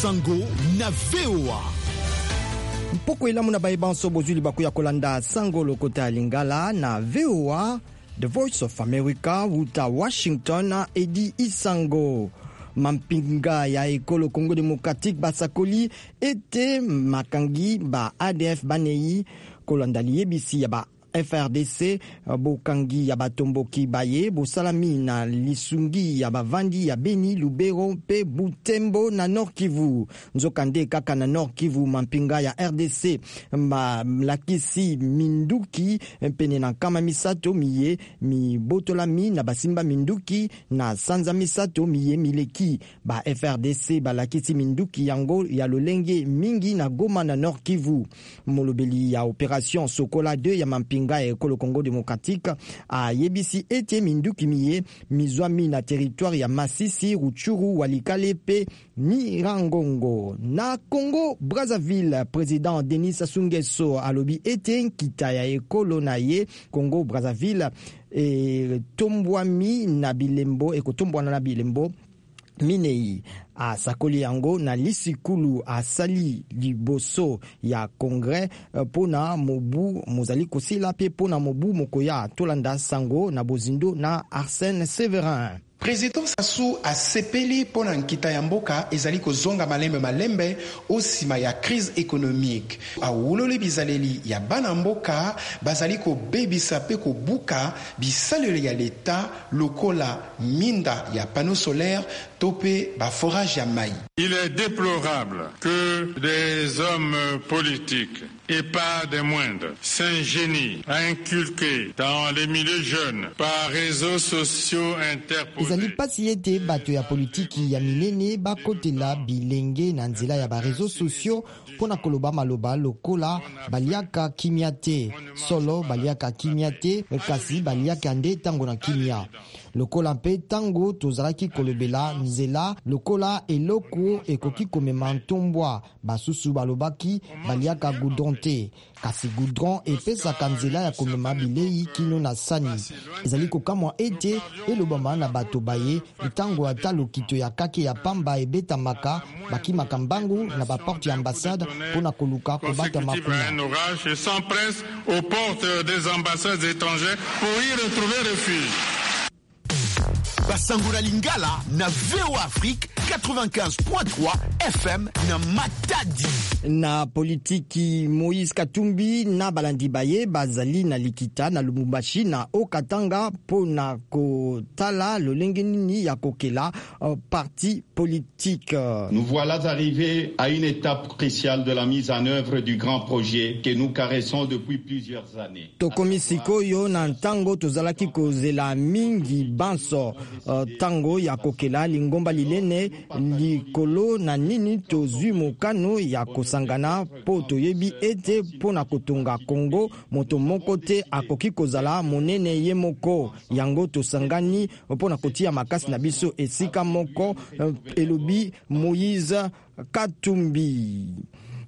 Sango na VOA. Mpoko elamu na baye banso bozwi libaku ya kolanda sango lokota ya Lingala na VOA, The Voice of America, wuta Washington. Edi Isango. Mampinga ya ekolo Congo Démocratique basakoli ete makangi ba ADF banei, kolanda liyebisi ya ba FRDC. Bokangi ya batomboki baye bosalami na lisungi ya bavandi ya Beni, Lubero mpe Butembo na Nord Kivu. Nzokande kaka na Nord Kivu, mampinga ya RDC malakisi minduki pene na 300 miye mibotolami na basimba minduki na sanza 3 miye mileki. Ba FRDC balakisi minduki yango ya lolenge mingi na Goma na Nord Kivu. Molobeli ya opération Sokola 2 ya mampinga ya ekolo Congo Démocratique ayebisi ete minduki miye mizwami na territoire ya Masisi, Rutshuru, Walikale mpe Nyiragongo. Na Congo Brazzaville, président Denis Sassou Nguesso alobi ete nkita ya ekolo na ye Congo Brazzaville etombwami na bilembo, ekotombwana na bilembo minei. Asakoli yango na lisikulu asali liboso ya congrès mpona mobu mozali kosila mpe mpona mobu mokoya. Tolanda sango na bozindo na Arsène Severin. Président Sassou asepeli mpo na nkita ya mboka ezali kozonga malembe malembe o nsima ya crise économique. Awuloli bizaleli ya bana mboka bazali kobebisa mpe kobuka bisalelo ya leta lokola minda ya panneau solaire to mpe baforage ya mai. Il est déplorable que des hommes politiques, et pas des moindres, s'ingénient à inculquer dans les milieux jeunes, par réseaux sociaux interposés. Ezali mpasi ete bato ya politiki ya minene bakotela bilenge na nzela ya baréseaux sociaux mpo na koloba maloba lokola baliaka kimia te. Solo, baliaka kimia te, kasi baliaka nde ntango na kimia. Lokola mpe ntango tozalaki kolobela nzela lokola eloko ekoki komema ntombwa, basusu balobaki baliaka goudron te, kasi goudron epesaka nzela ya komema bilei kino na sani. Ezali kokamwa ete elobama na bato baye ntango ata lokito ya kake ya pamba ebetamaka, bakimaka mbangu na baporte ya ambassade mpo na koluka kobatama kuna. Un orage et s'empressent aux portes des ambassades étrangères pour y retrouver refuge. Basango na Lingala na VOA Afrique 95.3 FM na Matadi. Na politiki, Moïse Katumbi na balandi baye bazali na likita na Lubumbashi na Okatanga mpo na kotala lolenge nini ya kokela parti politique. Nous voilà arrivés à une étape cruciale de la mise en œuvre du grand projet que nous caressons depuis plusieurs années. Tokomi sikoyo na ntango tozalaki kozela mingi banso, ntango ya kokela lingomba linene likolo na nini tozwi mokano ya kosangana, mpo toyebi ete mpo na kotonga Kongo, moto moko te akoki kozala monene ye moko. Yango tosangani mpo na kotia makasi na biso esika moko, elobi Moïse Katumbi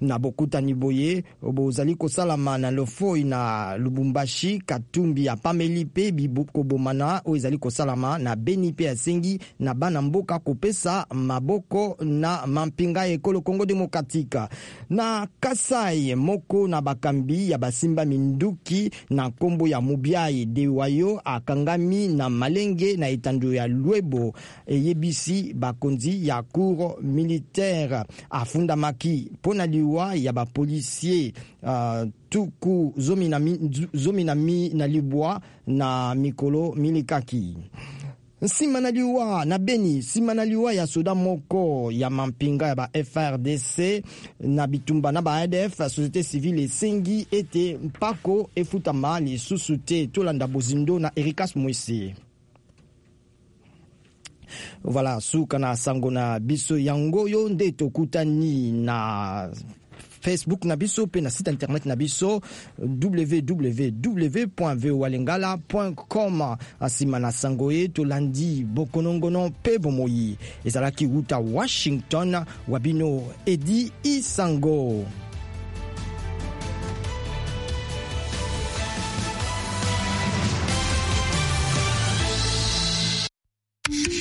na bokutani boye bozali kosalama na Lofoi na Lubumbashi. Katumbi apameli mpe kobomana oyo ezali kosalama na Beni mpe asengi na bana mboka kopesa maboko na mampinga ya ekolo Congo Démocratique. Na Kasai, moko na bakambi ya basimba minduki na nkombo ya Mubiai Dewayo akangami na Malenge na etando ya Lwebo, eyebisi bakonzi ya cour militaire. Afundamaki mpo na liwa ya bapolisier tuku 19 na mikolo milikaki. Nsima na liwa na Beni, nsima na liwa ya soda moko ya mampinga ya ba FRDC na bitumba na ba ADF, société civile esengi ete mpako efutama lisusu te. Tolanda bozindo na Erikas Mwese. Voilà, suka na sango na biso yango oyo. Nde tokutani na Facebook na biso mpe na site internet na biso www.voalingala.com. Nsima na sango ye, tolandi bokonongono mpe bomoi. Ezalaki wuta Washington, wa bino Edi Isango.